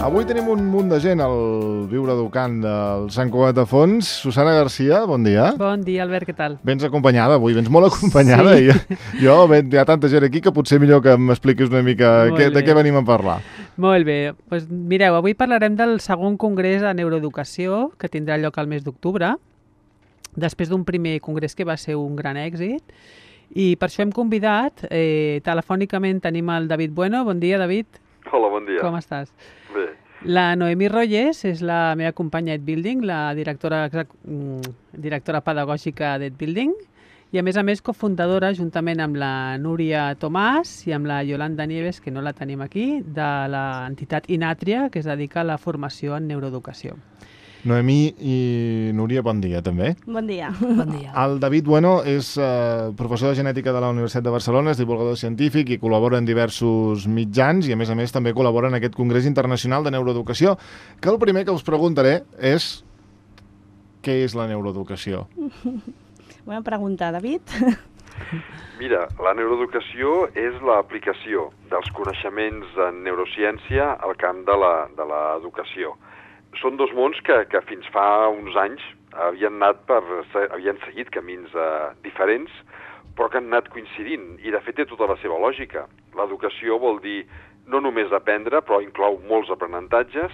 Avui tenim un munt de gent al Viure Educant del Sant Cugat de Fons. Susana Garcia, bon dia. Bon dia, Albert, què tal? Vens acompanyada avui, vens molt acompanyada. Sí. Hi ha tanta gent aquí que potser millor que m'expliquis una mica de què venim a parlar. Molt bé. Pues, mireu, avui parlarem del segon congrés de neuroeducació que tindrà lloc al mes d'octubre, després d'un primer congrés que va ser un gran èxit. I per això hem convidat, telefònicament tenim el David Bueno. Bon dia, David. Hola, bon dia. Com estàs? Bé. La Noemí Rollés és la meva companya d'EdBuilding, la directora pedagògica d'EdBuilding, i a més cofundadora, juntament amb la Núria Tomàs i amb la Yolanda Nieves, que no la tenim aquí, de l'entitat Inatria, que es dedica a la formació en neuroeducació. Noemí i Núria, bon dia també. Bon dia. Bon dia. El David Bueno és professor de genètica de la Universitat de Barcelona, és divulgador científic i col·labora en diversos mitjans i a més també col·labora en aquest Congrés Internacional de Neuroeducació, que el primer que us preguntaré és què és la neuroeducació? Bona pregunta, David. Mira, la neuroeducació és l'aplicació dels coneixements en neurociència al camp de l'educació. Són dos mons que fins fa uns anys havien seguit camins diferents, però que han anat coincidint, i de fet té tota la seva lògica. L'educació vol dir no només aprendre, però inclou molts aprenentatges.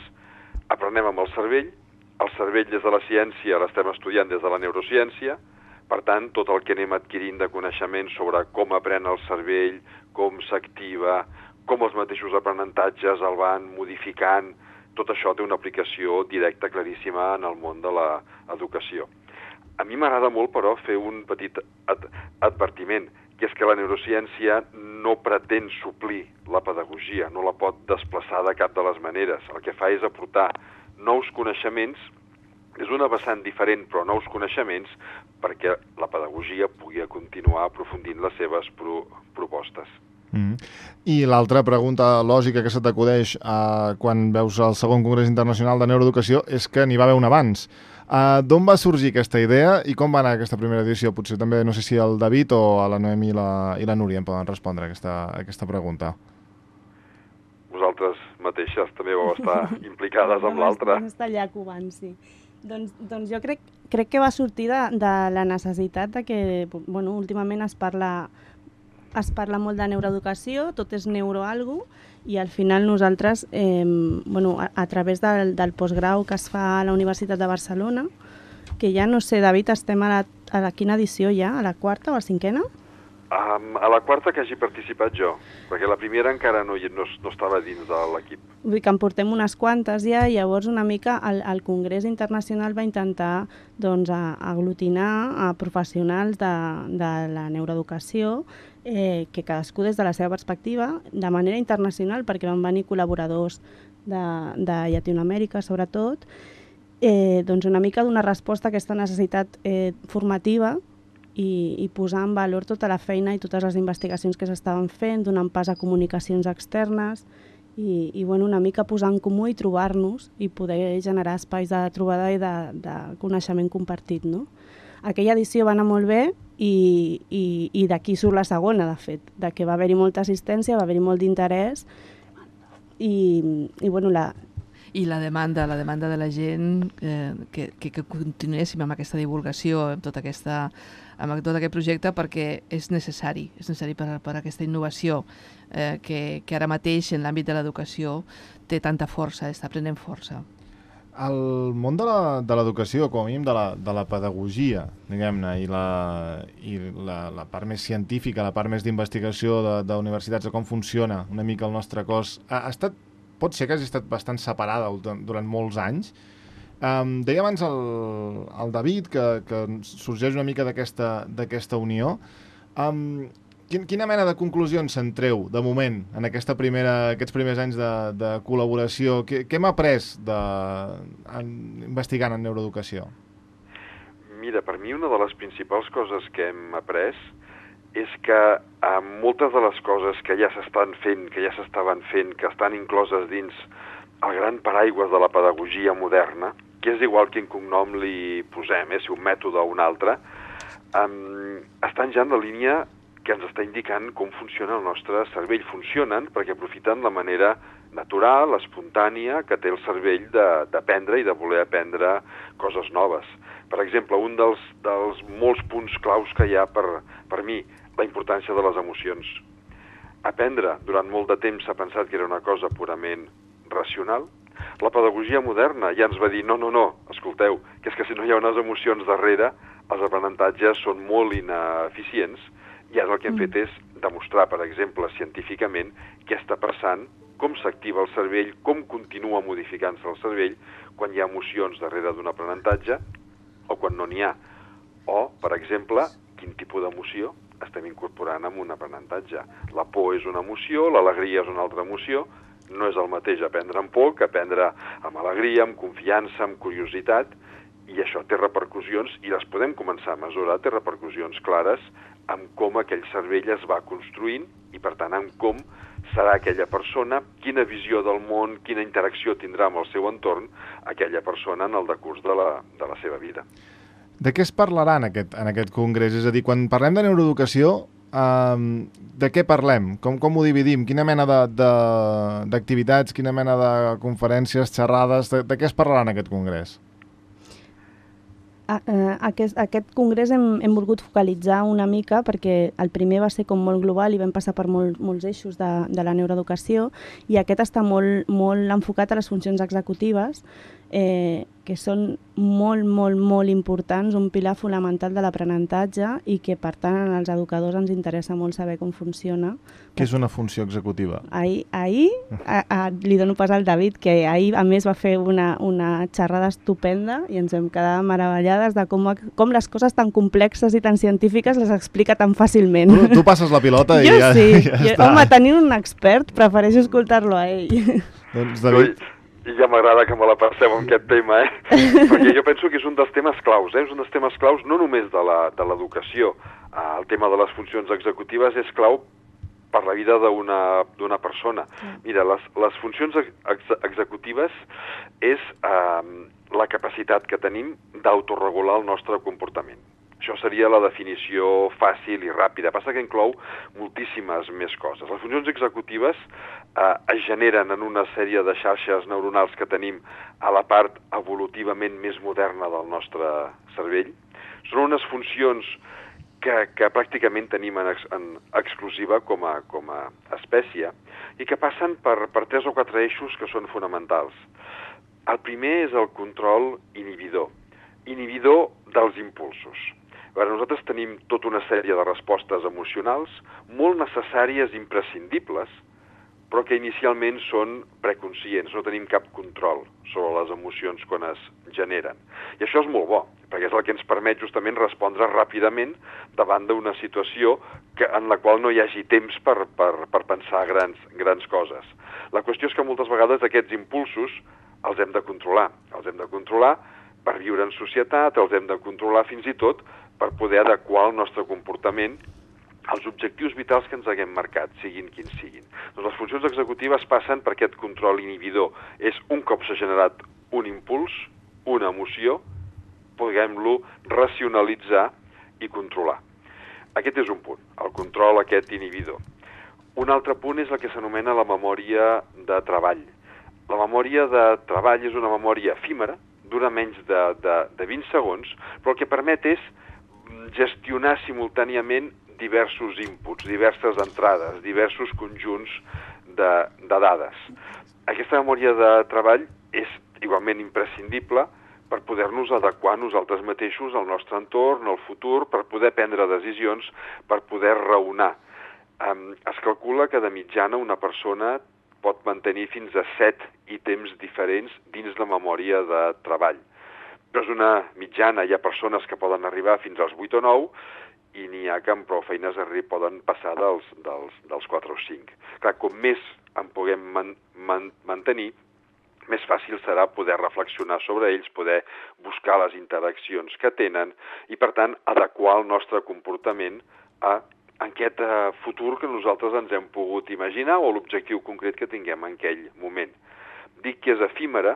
Aprenem amb el cervell des de la ciència l'estem estudiant des de la neurociència, per tant, tot el que anem adquirint de coneixements sobre com aprèn el cervell, com s'activa, com els mateixos aprenentatges el van modificant, tot això té una aplicació directa, claríssima, en el món de l'educació. A mi m'agrada molt, però, fer un petit advertiment, que és que la neurociència no pretén suplir la pedagogia, no la pot desplaçar de cap de les maneres. El que fa és aportar nous coneixements, és una vessant diferent, però nous coneixements, perquè la pedagogia pugui continuar aprofundint les seves propostes. I l'altra pregunta lògica que se t'acudeix quan veus el segon Congrés Internacional de Neuroeducació és que n'hi va haver un abans. D'on va sorgir aquesta idea i com va anar aquesta primera edició? Potser també, no sé si el David o la Noemi i la Núria em poden respondre aquesta pregunta. Vosaltres mateixes també vau estar implicades amb l'altra. Vam estar allà covant, sí. Doncs jo crec que va sortir de la necessitat de que, últimament es parla molt de neuroeducació, tot és neuroalgo, i al final nosaltres, a través del postgrau que es fa a la Universitat de Barcelona, que ja no sé, David, estem a la quina edició ja? A la quarta o a la cinquena? A la quarta que hagi participat jo, perquè la primera encara no estava dins de l'equip. Vull dir que en portem unes quantes ja, i llavors una mica el Congrés Internacional va intentar aglutinar a professionals de la neuroeducació, que cadascú des de la seva perspectiva, de manera internacional, perquè van venir col·laboradors de Llatinoamèrica, sobretot, una mica donar resposta a aquesta necessitat formativa i posar en valor tota la feina i totes les investigacions que s'estaven fent, donant pas a comunicacions externes i una mica posar en comú i trobar-nos i poder generar espais de trobada i de coneixement compartit, no? Aquella edició va anar molt bé i d'aquí surt la segona, de fet, de que va haver-hi molta assistència, va haver-hi molt d'interès I la demanda de la gent que continuéssim amb aquesta divulgació, amb tot aquest projecte, perquè és necessari per aquesta innovació que ara mateix en l'àmbit de l'educació té tanta força, està prenent força. El món de l'educació, com a mínim de la pedagogia, diguem-ne, i la part més científica, la part més d'investigació d'universitats, de com funciona una mica el nostre cos, pot ser que hagi estat bastant separada durant molts anys. Deia abans el David que sorgeix una mica d'aquesta unió. Quina mena de conclusions se'n treu, de moment, en aquests primers anys de col·laboració? Què hem après investigant en neuroeducació? Mira, per mi una de les principals coses que hem après és que moltes de les coses que ja s'estaven fent, que estan incloses dins el gran paraigües de la pedagogia moderna, que és igual quin cognom li posem, si un mètode o un altre, estan ja en la línia que ens està indicant com funciona el nostre cervell. Funcionen perquè aprofiten la manera natural, espontània, que té el cervell d'aprendre i de voler aprendre coses noves. Per exemple, un dels molts punts claus que hi ha per mi, la importància de les emocions. Aprendre durant molt de temps s'ha pensat que era una cosa purament racional. La pedagogia moderna ja ens va dir no, escolteu, que és que si no hi ha unes emocions darrere, els aprenentatges són molt ineficients, i ara el que hem fet és demostrar, per exemple, científicament què està passant, com s'activa el cervell, com continua modificant-se el cervell quan hi ha emocions darrere d'un aprenentatge o quan no n'hi ha. O, per exemple, quin tipus d'emoció estem incorporant en un aprenentatge. La por és una emoció, l'alegria és una altra emoció. No és el mateix aprendre amb por que aprendre amb alegria, amb confiança, amb curiositat, i això té repercussions, i les podem començar a mesurar, té repercussions clares en com aquell cervell es va construint i, per tant, en com serà aquella persona, quina visió del món, quina interacció tindrà amb el seu entorn aquella persona en el decurs de la seva vida. De què es parlarà en aquest congrés? És a dir, quan parlem de neuroeducació, de què parlem? Com ho dividim? Quina mena d'activitats, quina mena de conferències, xerrades, de què es parlarà en aquest congrés? Aquest congrés hem volgut focalitzar una mica perquè el primer va ser com molt global i vam passar per molts eixos de la neuroeducació, i aquest està molt enfocat a les funcions executives, que són molt importants, un pilar fonamental de l'aprenentatge, i que per tant als educadors ens interessa molt saber com funciona. Què és una funció executiva? Ahir li dono pas al David, que ahir a més va fer una xerrada estupenda i ens vam quedar meravellades de com les coses tan complexes i tan científiques les explica tan fàcilment. Tu passes la pilota i jo ja, sí. ja està. Home, tenint un expert, prefereixo escoltar-lo a ell. Doncs, David... I ja m'agrada que me la passeu en aquest tema, perquè jo penso que és un dels temes claus, és un dels temes claus no només de l'educació. El tema de les funcions executives és clau per la vida d'una persona. Mira, les funcions executives és la capacitat que tenim d'autoregular el nostre comportament. Això seria la definició fàcil i ràpida. Passa que inclou moltíssimes més coses. Les funcions executives es generen en una sèrie de xarxes neuronals que tenim a la part evolutivament més moderna del nostre cervell. Són unes funcions que pràcticament tenim en exclusiva com a espècie i que passen per 3 o 4 eixos que són fonamentals. El primer és el control inhibidor dels impulsos. A veure, nosaltres tenim tota una sèrie de respostes emocionals molt necessàries i imprescindibles, però que inicialment són preconscients, no tenim cap control sobre les emocions quan es generen. I això és molt bo, perquè és el que ens permet justament respondre ràpidament davant d'una situació en la qual no hi hagi temps per pensar grans coses. La qüestió és que moltes vegades aquests impulsos els hem de controlar. Els hem de controlar per viure en societat, els hem de controlar fins i tot per poder adequar el nostre comportament als objectius vitals que ens haguem marcat, siguin quins siguin. Doncs les funcions executives passen per aquest control inhibidor. És un cop s'ha generat un impuls, una emoció, puguem-lo racionalitzar i controlar. Aquest és un punt, el control aquest inhibidor. Un altre punt és el que s'anomena la memòria de treball. La memòria de treball és una memòria efímera, dura menys de 20 segons, però el que permet és gestionar simultàniament diversos inputs, diverses entrades, diversos conjunts de dades. Aquesta memòria de treball és igualment imprescindible per poder-nos adequar nosaltres mateixos al nostre entorn, al futur, per poder prendre decisions, per poder raonar. Es calcula que de mitjana una persona pot mantenir fins a 7 ítems diferents dins la memòria de treball. Però és una mitjana, hi ha persones que poden arribar fins als 8 o 9 i n'hi ha que amb prou feines poden passar dels 4 o 5. Clar, com més en puguem mantenir, més fàcil serà poder reflexionar sobre ells, poder buscar les interaccions que tenen i, per tant, adequar el nostre comportament a aquest futur que nosaltres ens hem pogut imaginar o l'objectiu concret que tinguem en aquell moment. Dic que és efímera,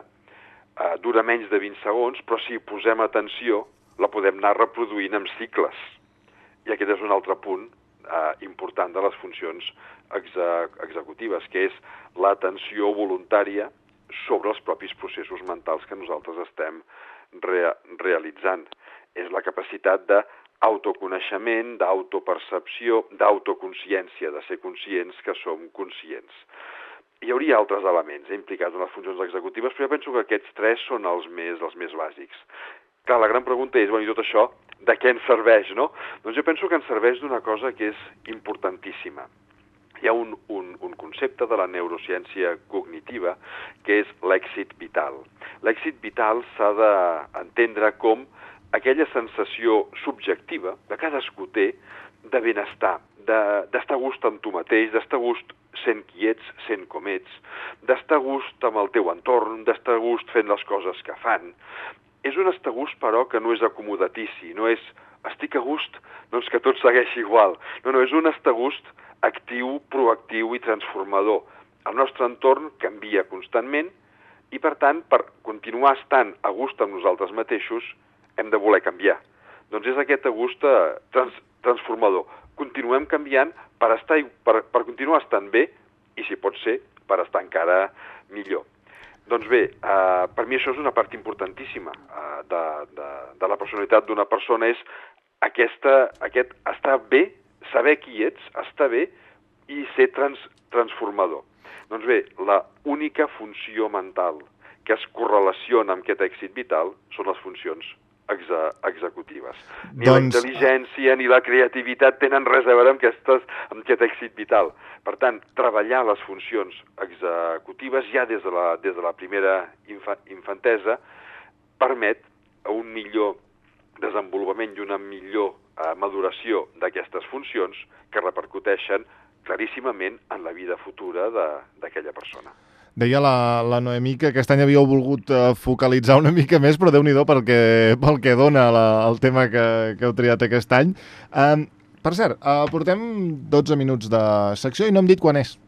dura menys de 20 segons, però si posem atenció la podem anar reproduint en cicles. I aquest és un altre punt important de les funcions executives, que és l'atenció voluntària sobre els propis processos mentals que nosaltres estem realitzant. És la capacitat d'autoconeixement, d'autopercepció, d'autoconsciència, de ser conscients que som conscients. Hi hauria altres elements implicats en les funcions executives, però jo penso que aquests tres són els més bàsics. Clar, la gran pregunta és, i tot això, de què ens serveix, no? Doncs jo penso que ens serveix d'una cosa que és importantíssima. Hi ha un concepte de la neurociència cognitiva que és l'èxit vital. L'èxit vital s'ha d'entendre com aquella sensació subjectiva que cadascú té de benestar, d'estar a gust amb tu mateix, d'estar a gust sent qui ets, sent com ets, d'estar a gust amb el teu entorn, d'estar a gust fent les coses que fan. És un estar a gust, però, que no és acomodatici, no és estic a gust, doncs que tot segueixi igual. No, és un estar a gust actiu, proactiu i transformador. El nostre entorn canvia constantment i, per tant, per continuar estant a gust amb nosaltres mateixos, hem de voler canviar. Doncs és aquest a gust transformador. Continuem canviant per continuar estant bé i, si pot ser, per estar encara millor. Doncs bé, per mi això és una part importantíssima de la personalitat d'una persona, és aquest estar bé, saber qui ets, estar bé i ser transformador. Doncs bé, la única funció mental que es correlaciona amb aquest èxit vital són les funcions executives. Ni la intel·ligència ni la creativitat tenen res a veure amb aquest èxit vital. Per tant, treballar les funcions executives ja des de la primera infantesa permet un millor desenvolupament i una millor maduració d'aquestes funcions que repercuteixen claríssimament en la vida futura d'aquella persona. Deia la Noemí que aquest any havíeu volgut focalitzar una mica més, però Déu-n'hi-do pel que dona el tema que heu triat aquest any. Per cert, portem 12 minuts de secció i no hem dit quan és.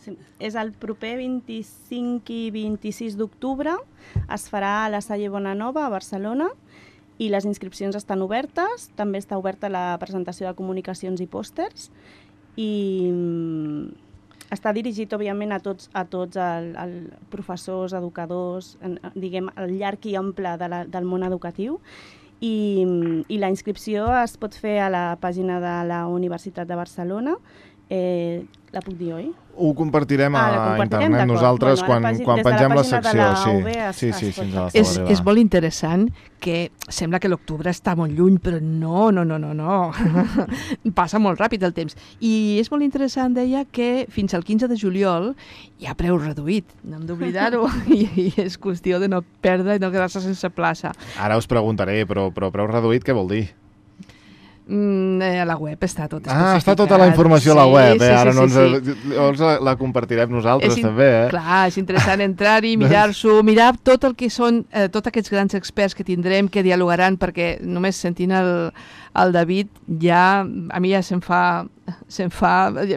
Sí, és el proper 25 i 26 d'octubre, es farà a la Salle Bonanova, a Barcelona, i les inscripcions estan obertes, també està oberta la presentació de comunicacions i pòsters, i està dirigit, òbviament, a tots els professors, educadors, diguem, el llarg i ample del món educatiu, i la inscripció es pot fer a la pàgina de la Universitat de Barcelona. La puc dir, oi? Ho compartirem a internet nosaltres quan pengem la secció. Sí, és molt interessant que sembla que l'octubre està molt lluny, però no. Passa molt ràpid el temps. I és molt interessant, deia, que fins al 15 de juliol hi ha preu reduït. No hem d'oblidar-ho i és qüestió de no perdre i no quedar-se sense plaça. Ara us preguntaré, però preu reduït què vol dir? A la web està tot especificat. Està tota la informació a la web, ara llavors la compartirem nosaltres també. Clar, és interessant entrar-hi, mirar-s'ho, mirar tot el que són tots aquests grans experts que tindrem, que dialogaran, perquè només sentint el David a mi ja em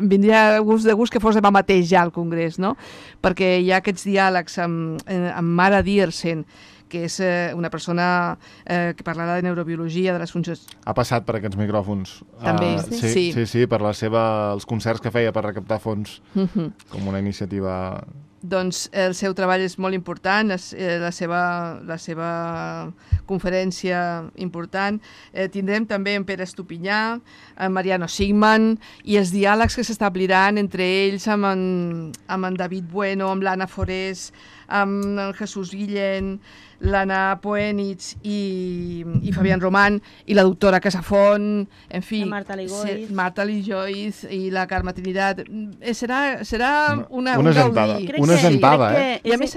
vindria de gust que fos demà mateix ja al Congrés, no? Perquè hi ha aquests diàlegs amb Mara Diersen, que és una persona que parlarà de neurobiologia, de les funcions... Ha passat per aquests micròfons. També, sí, per els concerts que feia per recaptar fons, com una iniciativa... Doncs el seu treball és molt important, la seva conferència important. Tindrem també en Pere Estupinyà, en Mariano Sigman, i els diàlegs que s'establiran entre ells amb en David Bueno, amb l'Anna Forés, amb el Jesús Guillén, l'Anna Poenitz i Fabián Román, i la doctora Casafont, en fi, Marta Lijoiz i la Carme Trinidad. Serà una gaudí. Una gentada, I a més...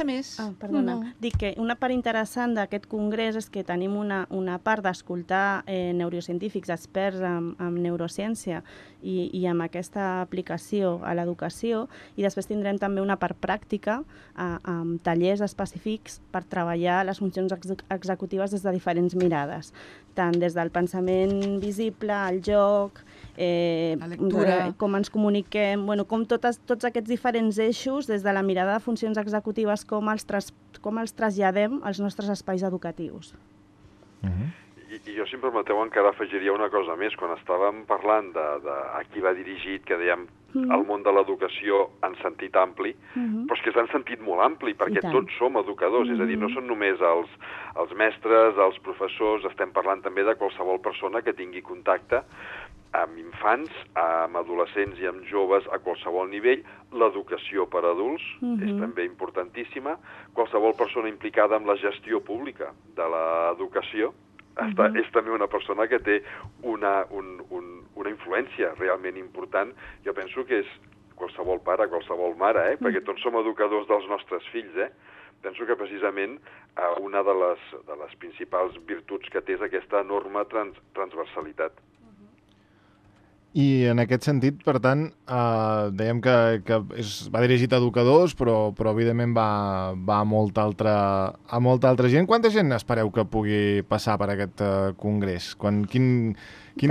Dic que una part interessant d'aquest congrés és que tenim una part d'escoltar neurocientífics, experts en neurociència i amb aquesta aplicació a l'educació, i després tindrem també una part pràctica amb tallers específics per treballar les funcions executives des de diferents mirades, tant des del pensament visible, el joc, la lectura, com ens comuniquem, com tots aquests diferents eixos des de la mirada de funcions executives, com els traslladem als nostres espais educatius. I jo, si em permeteu, encara afegiria una cosa més. Quan estàvem parlant de a qui va dirigit, que dèiem el món de l'educació en sentit ampli, però és que és en sentit molt ampli, perquè tots som educadors, és a dir, no són només els mestres, els professors, estem parlant també de qualsevol persona que tingui contacte amb infants, amb adolescents i amb joves a qualsevol nivell. L'educació per a adults és també importantíssima. Qualsevol persona implicada amb la gestió pública de l'educació és també una persona que té una influència realment important. Jo penso que és qualsevol pare, qualsevol mare, perquè tots som educadors dels nostres fills, Penso que precisament una de les principals virtuts que té és aquesta enorme transversalitat. I en aquest sentit, per tant, dèiem que va dirigit a educadors, però evidentment va a molta altra gent. Quanta gent espereu que pugui passar per aquest congrés? Quin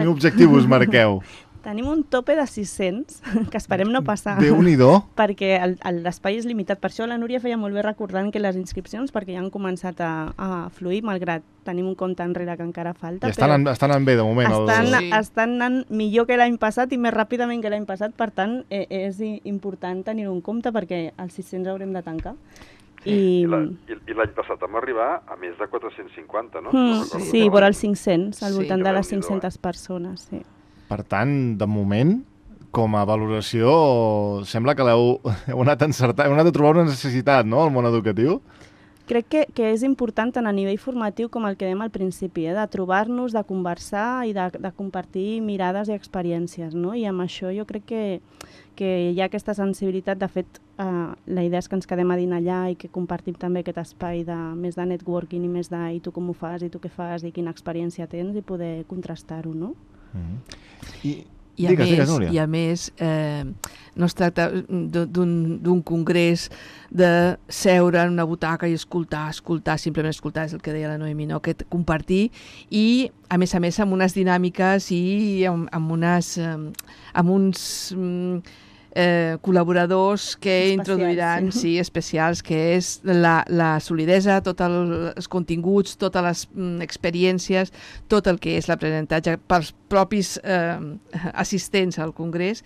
objectiu us marqueu? Tenim un tope de 600, que esperem no passar. Déu-n'hi-do. Perquè l'espai és limitat. Per això la Núria feia molt bé recordant que les inscripcions, perquè ja han començat a fluir, malgrat tenim un compte enrere que encara falta. I estan anant bé, de moment. Estan anant millor que l'any passat i més ràpidament que l'any passat. Per tant, és important tenir un compte perquè els 600 haurem de tancar. I l'any passat vam arribar a més de 450, no? Sí, vora els 500, al voltant de les 500 persones, sí. Per tant, de moment, com a valoració, sembla que heu anat encertant, heu anat a trobar una necessitat, no?, al món educatiu. Crec que és important tant a nivell formatiu com el que dèiem al principi, de trobar-nos, de conversar i de compartir mirades i experiències, no? I amb això jo crec que hi ha aquesta sensibilitat. De fet, la idea és que ens quedem a dinar allà i que compartim també aquest espai més de networking i més de i tu com ho fas, i tu què fas, i quina experiència tens, i poder contrastar-ho, no? I a més, no es tracta d'un congrés de seure en una butaca i escoltar, simplement escoltar, és el que deia la Noemi, no? Que compartir, i a més amb unes dinàmiques i amb uns col·laboradors que introduiran, especials, que és la solidesa, tots els continguts, totes les experiències, tot el que és l'aprenentatge pels propis assistents al congrés,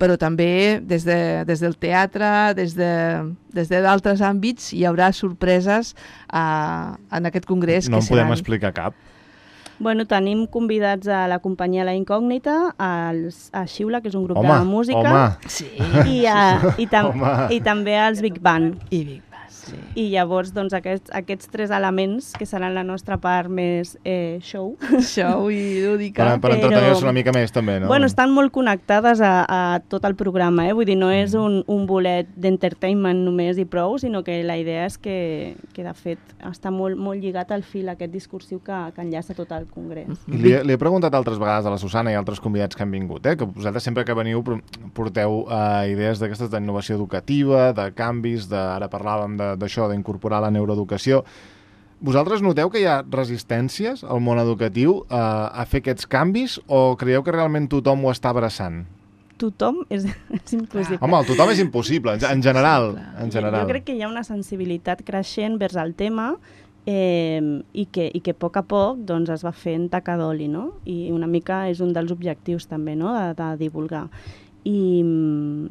però també des del teatre, des d'altres àmbits, hi haurà sorpreses en aquest congrés. No en podem explicar cap. Bueno, tenim convidats a la companyia La Incògnita, a Xiula, que és un grup de música, i també als Big Band. I llavors, doncs, aquests tres elements, que seran la nostra part més show i lúdica. Per entretenir-se una mica més, també, no? Bueno, estan molt connectades a tot el programa, Vull dir, no és un bolet d'entertainment només i prou, sinó que la idea és que de fet, està molt lligat al fil aquest discursiu que enllaça tot el congrés. Li he preguntat altres vegades a la Susana i a altres convidats que han vingut, que vosaltres sempre que veniu porteu idees d'aquestes d'innovació educativa, de canvis, ara parlàvem d'això, d'incorporar la neuroeducació. Vosaltres noteu que hi ha resistències al món educatiu a fer aquests canvis, o creieu que realment tothom ho està abraçant? Tothom és impossible. Home, el tothom és impossible, en general. Jo crec que hi ha una sensibilitat creixent vers el tema i que a poc doncs, es va fent taca d'oli, no? I una mica és un dels objectius també, no?, de divulgar. I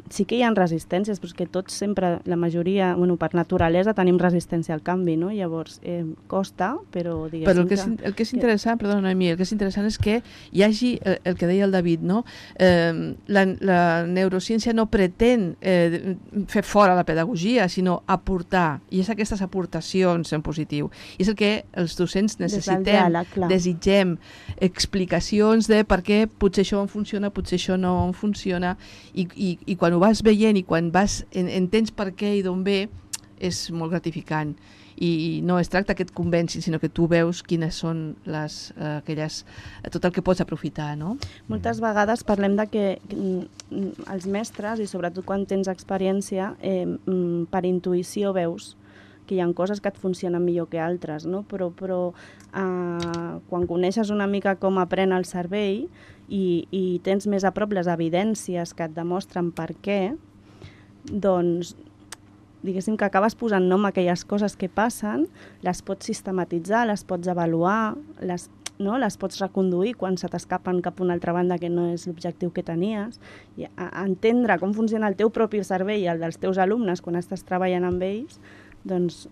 sí que hi ha resistències, però és que tots sempre, la majoria, per naturalesa tenim resistència al canvi, no? Llavors costa, però diguéssim però el que és interessant, perdona Noemi, el que és interessant és que hi hagi el que deia el David, no? La neurociència no pretén fer fora la pedagogia, sinó aportar, i és aquestes aportacions en positiu. I és el que els docents necessitem, desitgem explicacions de per què potser això em funciona, potser això no em funciona. I quan ho vas veient i quan entens per què i d'on ve, és molt gratificant. I no es tracta que et convencin, sinó que tu veus quines són tot el que pots aprofitar, no? Moltes vegades parlem de que els mestres, i sobretot quan tens experiència, per intuïció veus que hi ha coses que et funcionen millor que altres, no? Però quan coneixes una mica com aprèn el cervell i tens més a prop les evidències que et demostren per què, doncs diguéssim que acabes posant nom a aquelles coses que passen, les pots sistematitzar, les pots avaluar, no, les pots reconduir quan se t'escapen cap a una altra banda que no és l'objectiu que tenies, i entendre com funciona el teu propi cervell i el dels teus alumnes quan estàs treballant amb ells, doncs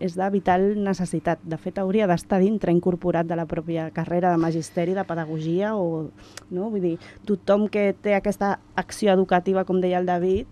és de vital necessitat. De fet, hauria d'estar dintre incorporat de la pròpia carrera de magisteri, de pedagogia, o, no? Vull dir, tothom que té aquesta acció educativa, com deia el David,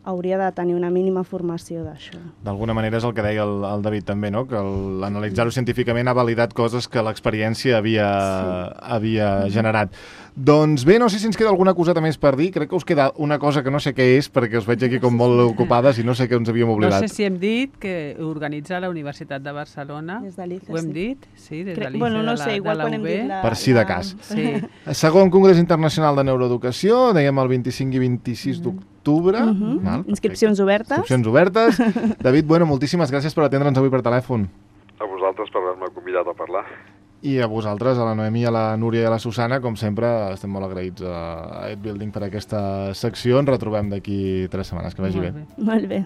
hauria de tenir una mínima formació d'això. D'alguna manera és el que deia el David també, no? Que l'analitzar-ho científicament ha validat coses que l'experiència havia generat. Doncs bé, no sé si ens queda alguna coseta més per dir. Crec que us queda una cosa que no sé què és, perquè us veig aquí com molt ocupades i no sé què ens havíem oblidat. No sé si hem dit que organitza la Universitat de Barcelona. Des de l'ICE, ho hem dit? Sí, des de l'ICE, bueno, no sé, igual quan hem dit per si de cas. Sí. Segon Congrés Internacional de Neuroeducació, dèiem el 25 i 26 d'octubre. Inscripcions obertes. Inscripcions obertes. David, bueno, moltíssimes gràcies per atendre'ns avui per telèfon. A vosaltres per haver-me convidat a parlar. I a vosaltres, a la Noemí, a la Núria i a la Susana, com sempre, estem molt agraïts a EdBuilding per aquesta secció. Ens retrobem d'aquí 3 setmanes. Que vagi bé. Molt bé.